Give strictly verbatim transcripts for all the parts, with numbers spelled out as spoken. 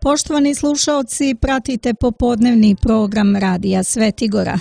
Poštovani slušaoci, pratite popodnevni program Radija Svetigora.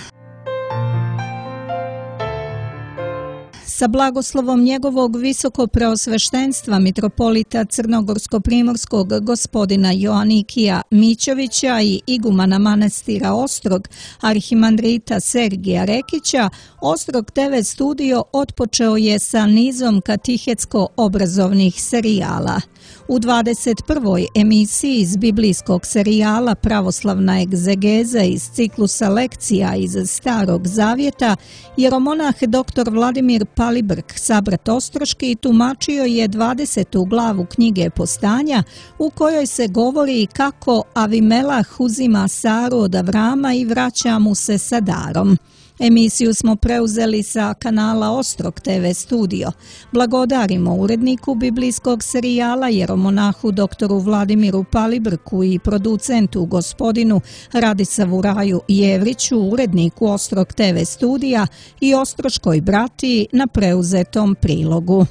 Sa blagoslovom njegovog visokopreosveštenstva mitropolita Crnogorsko-primorskog gospodina Joanikija Mićovića i igumana manastira Ostrog, arhimandrita Sergija Rekića, Ostrog te ve studio otpočeo je sa nizom katehetsko-obrazovnih serijala. U dvadeset prvoj emisiji iz biblijskog serijala Pravoslavna egzegeza iz ciklusa lekcija iz Starog Zavjeta, jeromonah dr Vladimir Palibrk, sabrat Ostroški, tumačio je dvadesetu glavu knjige Postanja, u kojoj se govori kako Avimelah uzima Saru od Avrama i vraća mu se sa darom. Emisiju smo preuzeli sa kanala Ostrog te ve studio. Blagodarimo uredniku biblijskog serijala jeromonahu doktoru Vladimiru Palibrku i producentu gospodinu Radisavu Raju Jevriću, uredniku Ostrog te ve studija i ostroškoj bratiji na preuzetom prilogu.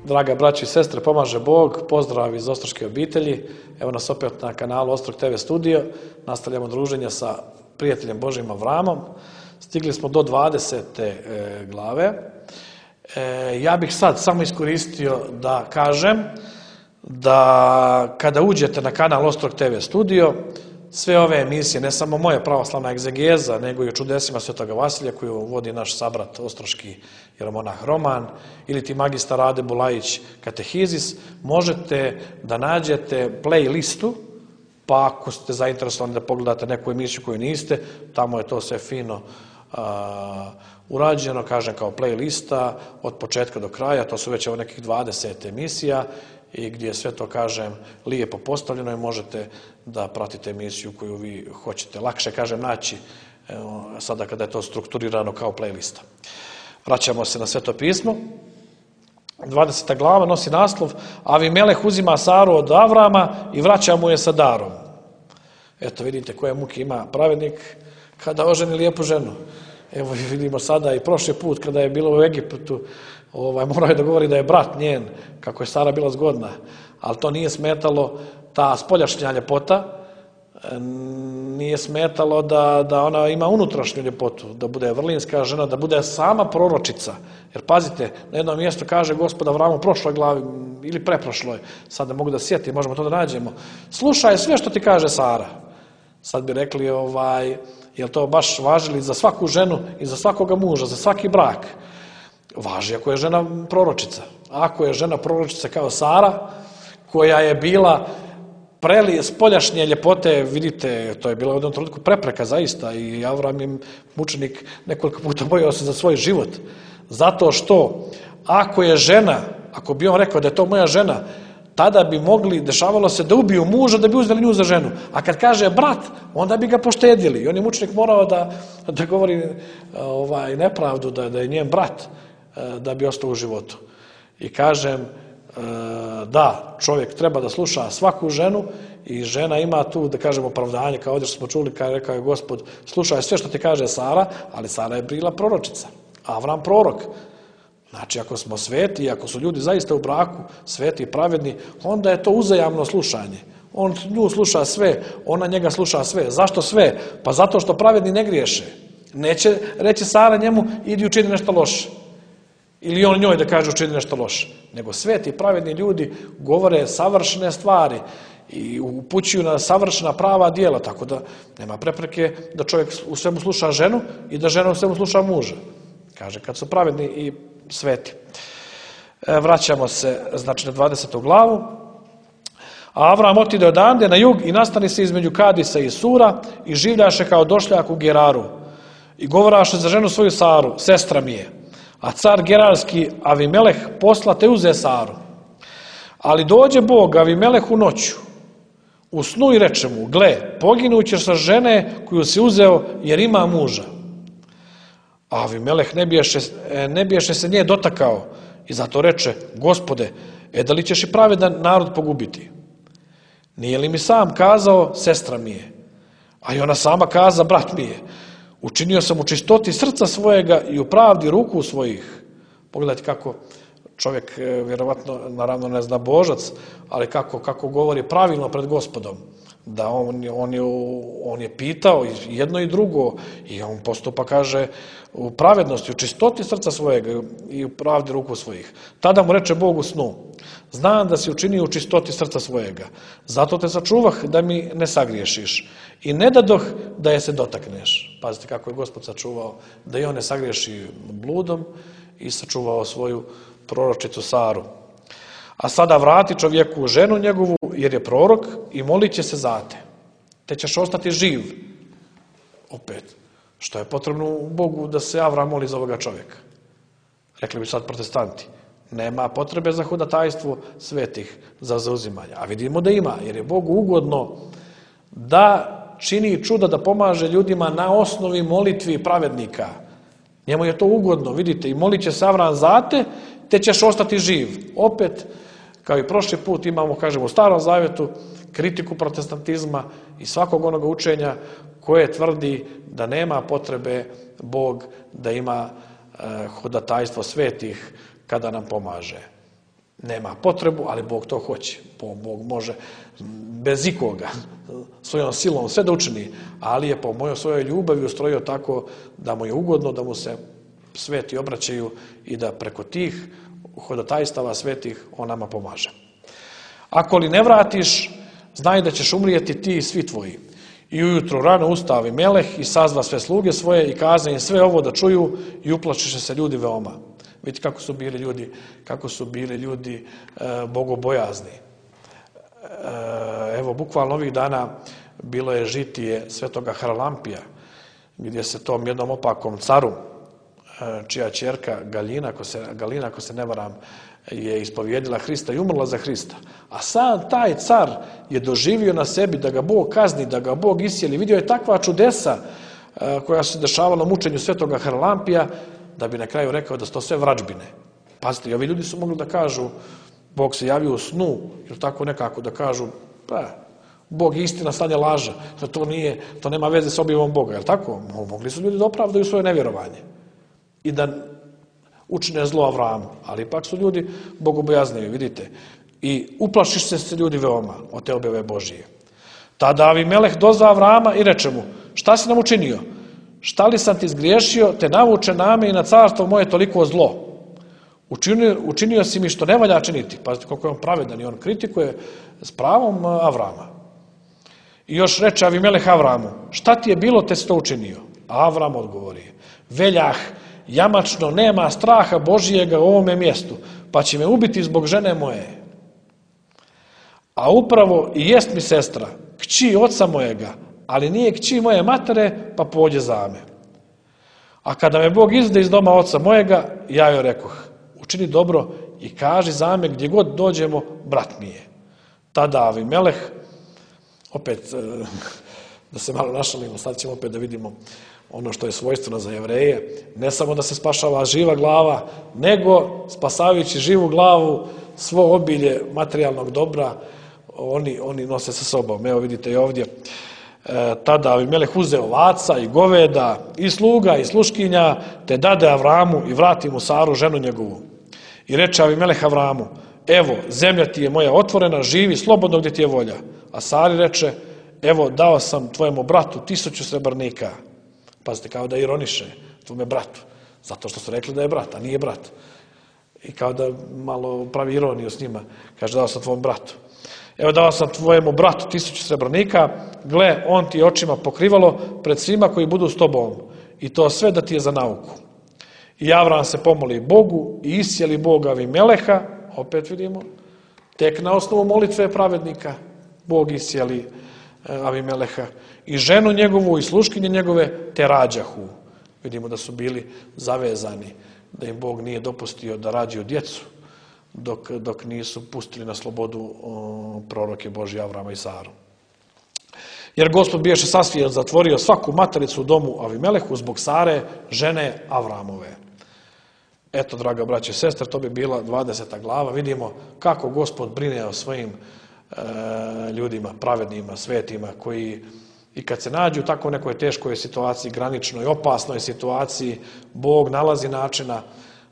Draga braći i sestre, pomaže Bog, pozdrav iz ostroške obitelji. Evo nas opet na kanalu Ostrog te ve studio. Nastavljamo druženje sa prijateljem Božijim Avramom. Stigli smo do dvadesete e, glave. E, ja bih sad samo iskoristio da kažem da kada uđete na kanal Ostrog te ve studio, sve ove emisije, ne samo moja pravoslavna egzegeza, nego i o čudesima Svetoga Vasilja koju vodi naš sabrat ostroški jeromonah Roman, ili ti magistar Rade Bulajić Katehizis, možete da nađete playlistu, pa ako ste zainteresovani da pogledate neku emisiju koju niste, tamo je to sve fino a, urađeno, kažem, kao playlista od početka do kraja. To su već evo nekih dvadeset emisija i gdje je sve to, kažem, lijepo postavljeno i možete da pratite emisiju koju vi hoćete. Lakše, kažem, naći evo, sada kada je to strukturirano kao playlista. Vraćamo se na Sveto pismo. dvadeseta glava nosi naslov Avimeleh uzima Saru od Avrama i vraća mu je sa darom. Eto, vidite koje muke ima pravednik kada oženi lijepu ženu. Evo vidimo sada i prošli put kada je bilo u Egiptu, ovaj, morao je da govori da je brat njen, kako je Sara bila zgodna, ali to nije smetalo, ta spoljašnja ljepota, nije smetalo da, da ona ima unutrašnju ljepotu, da bude vrlinska žena, da bude sama proročica. Jer pazite, na jednom mjestu kaže Gospod Avramu u prošloj glavi ili preprošloj, sad ne mogu da sjetim, možemo to da nađemo, slušaj sve što ti kaže Sara. Sad bi rekli, ovaj, jel to baš važili za svaku ženu i za svakoga muža, za svaki brak? Važi ako je žena proročica. Ako je žena proročica kao Sara, koja je bila preli spoljašnje ljepote, vidite, to je bila u jednom trenutku prepreka zaista i Avram im mučenik nekoliko puta bojao se za svoj život. Zato što ako je žena, ako bi on rekao da je to moja žena, tada bi mogli, dešavalo se da ubiju muža da bi uzeli nju za ženu. A kad kaže brat, onda bi ga poštedili. I on je mučenik morao da, da govori ovaj, nepravdu, da, da je njen brat, da bi ostao u životu. I kažem, da, čovjek treba da sluša svaku ženu i žena ima tu, da kažemo, opravdanje, kao ovdje što smo čuli, kada je rekao je Gospod, slušaj sve što ti kaže Sara, ali Sara je bila proročica, Avram prorok. Znači, ako smo sveti, ako su ljudi zaista u braku, sveti i pravedni, onda je to uzajamno slušanje. On nju sluša sve, ona njega sluša sve. Zašto sve? Pa zato što pravedni ne griješe. Neće reći Sara njemu, idi učini nešto loše. Ili on njoj da kaže učini nešto loše. Nego sveti i pravedni ljudi govore savršene stvari i upućuju na savršena prava djela, tako da nema prepreke da čovjek u svemu sluša ženu i da žena u svemu sluša muža. Kaže, kad su pravedni i sveti. E, vraćamo se, znači, na dvadesetu glavu. A Avram otide odande na jug i nastani se između Kadisa i Sura i življaše kao došljak u Geraru. I govoraše za ženu svoju Saru, sestra mi je. A car gerarski Avimeleh posla te uze Saru. Ali dođe Bog Avimelehu noću u snu i reče mu, gle, poginućeš sa žene koju si uzeo jer ima muža. A Avimeleh ne biješe, ne biješe se nje dotakao i zato reče, Gospode, e da li ćeš i pravedan narod pogubiti? Nije li mi sam kazao, sestra mi je? A i ona sama kaza, brat mi je. Učinio sam u čistoti srca svojega i u pravdi ruku svojih. Pogledajte kako čovjek vjerovatno, naravno ne zna božac, ali kako, kako govori pravilno pred Gospodom, da on, on, je, on je pitao jedno i drugo i on postupa, kaže, u pravednosti, u čistoti srca svojega i u pravdi ruku svojih. Tada mu reče Bog u snu: znam da si učinio u čistoti srca svojega, zato te sačuvah da mi ne sagriješiš i ne dadoh da je se dotakneš. Pazite kako je Gospod sačuvao da i on ne sagriješi bludom i sačuvao svoju proročicu Saru. A sada vrati čovjeku ženu njegovu, jer je prorok, i molit će se za te, te ćeš ostati živ. Opet, što je potrebno Bogu da se Avram moli za ovoga čovjeka? Rekli bi sad protestanti, nema potrebe za hudatajstvo svetih, za zauzimanje. A vidimo da ima, jer je Bogu ugodno da čini čuda, da pomaže ljudima na osnovi molitvi pravednika. Njemu je to ugodno, vidite, i molit će se Avram za te, te ćeš ostati živ. Opet, kao i prošli put, imamo, kažemo, u Starom Zavjetu kritiku protestantizma i svakog onoga učenja koje tvrdi da nema potrebe Bog da ima e, hudatajstvo svetih kada nam pomaže. Nema potrebu, ali Bog to hoće. Bog može bez ikoga, svojom silom sve da učini, ali je po mojoj svojoj ljubavi ustrojio tako da mu je ugodno da mu se sveti obraćaju i da preko tih hudatajstava svetih on nama pomaže. Ako li ne vratiš, znaj da ćeš umrijeti ti i svi tvoji. I ujutro rano ustavi Meleh i sazva sve sluge svoje i kaza im sve ovo da čuju i uplašiše se ljudi veoma. Vidite kako su bili ljudi, kako su bili ljudi e, bogobojazni. E, evo, bukvalno ovih dana bilo je žitije svetoga Haralampija, gdje se tom jednom opakom caru, čija ćerka Galina, ako se, Galina, ako se ne varam, je ispovjedila Hrista i umrla za Hrista. A sam taj car je doživio na sebi da ga Bog kazni, da ga Bog isjeli. Vidio je takva čudesa koja se dešavala mučenju svetoga Haralampija, da bi na kraju rekao da su to sve vrađbine. Pazite, i ovi ljudi su mogli da kažu Bog se javio u snu, ili tako nekako da kažu, pa, Bog je istina, stanje laža, da to nije, to nema veze s objavom Boga, je li tako? Mogli su ljudi da opravdaju svoje nevjerovanje i da učine zlo Avramu, ali ipak su ljudi bogobojazniji, vidite. I uplašiš se se ljudi veoma od te objave Božije. Tada Avimeleh dozva Avrama i reče mu: šta si nam učinio? Šta li sam ti zgriješio, te navuče name i na carstvo moje toliko zlo? Učinio, učinio si mi što ne valja činiti. Pazite koliko je on pravedan i on kritikuje s pravom Avrama. I još reče Avimeleh Avramu: šta ti je bilo, te si to učinio? A Avram odgovori: veljah, jamačno, nema straha Božijega u ovome mjestu, pa će me ubiti zbog žene moje. A upravo i jest mi sestra, kći oca mojega, ali nije kći moje matere, pa pođe za me. A kada me Bog izvede iz doma oca mojega, ja joj rekoh: učini dobro i kaži za me gdje god dođemo, brat mi je. Tada Avimeleh, opet da se malo našalimo, sad ćemo opet da vidimo ono što je svojstveno za Jevreje, ne samo da se spašava živa glava, nego spasavajući živu glavu, svo obilje materijalnog dobra, oni, oni nose sa sobom. Evo vidite i ovdje, e, tada Avimeleh uzeo ovaca i goveda i sluga i sluškinja, te dade Avramu i vrati mu Saru, ženu njegovu. I reče Avimeleh Avramu: evo, zemlja ti je moja otvorena, živi slobodno gdje ti je volja. A Sari reče: evo, dao sam tvojemu bratu tisuću srebrnika. Pazite, kao da ironiše tvome bratu, zato što su rekli da je brat, a nije brat. I kao da malo pravi ironiju s njima, kaže: dao sam tvom bratu. Evo, dao sam tvojemu bratu tisuću srebrnika, gle, on ti je očima pokrivalo pred svima koji budu s tobom, i to sve da ti je za nauku. I Avram se pomoli Bogu i isjeli Boga Avimeleha, opet vidimo, tek na osnovu molitve pravednika, Bog isjeli Avimeleha, i ženu njegovu i sluškinje njegove, te rađahu. Vidimo da su bili zavezani, da im Bog nije dopustio da rađaju djecu, dok, dok nisu pustili na slobodu o, proroke Božje Avrama i Saru. Jer Gospod biješe sasvije zatvorio svaku matericu u domu Avimelehu zbog Sare, žene Avramove. Eto, draga braće i sestre, to bi bila dvadeseta glava. Vidimo kako Gospod brine o svojim e, ljudima, pravednima, svetima, koji i kad se nađu u tako nekoj teškoj situaciji, graničnoj, opasnoj situaciji, Bog nalazi načina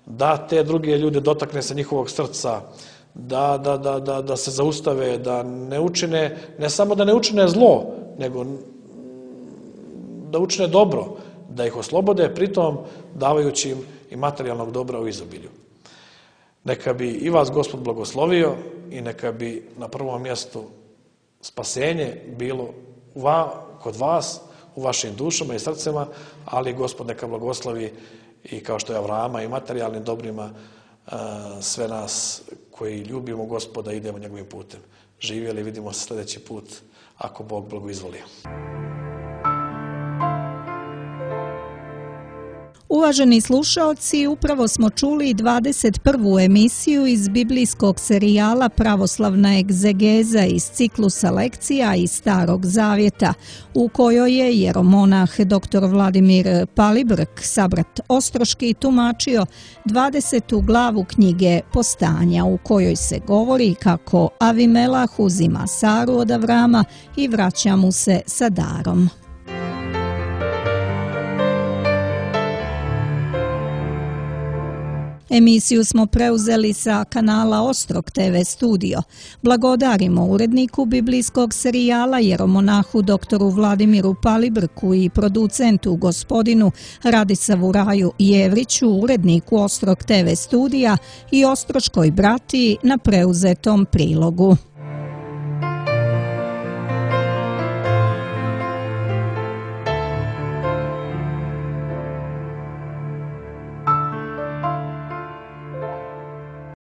da te druge ljude dotakne se njihovog srca, da, da, da, da, da se zaustave, da ne učine, ne samo da ne učine zlo, nego da učine dobro, da ih oslobode, pritom davajući im i materijalnog dobra u izobilju. Neka bi i vas Gospod blagoslovio i neka bi na prvom mjestu spasenje bilo kod vas, u vašim dušama i srcima, ali Gospod neka blagoslovi i kao što je Avrama i materijalnim dobrima sve nas koji ljubimo Gospoda idemo njegovim putem. Živjeli, vidimo se sljedeći put ako Bog blagoizvolio. Uvaženi slušaoci, upravo smo čuli dvadeset prvu emisiju iz biblijskog serijala Pravoslavna egzegeza iz ciklusa lekcija iz Starog Zavjeta, u kojoj je jeromonah doktor Vladimir Palibrk, sabrat Ostroški, tumačio dvadesetu glavu knjige Postanja, u kojoj se govori kako Avimelah uzima Saru od Avrama i vraća mu se sa darom. Emisiju smo preuzeli sa kanala Ostrog te ve studio. Blagodarimo uredniku biblijskog serijala jeromonahu doktoru Vladimiru Palibrku i producentu gospodinu Radisavu Raju Jevriću, uredniku Ostrog te ve studija i ostroškoj bratiji na preuzetom prilogu.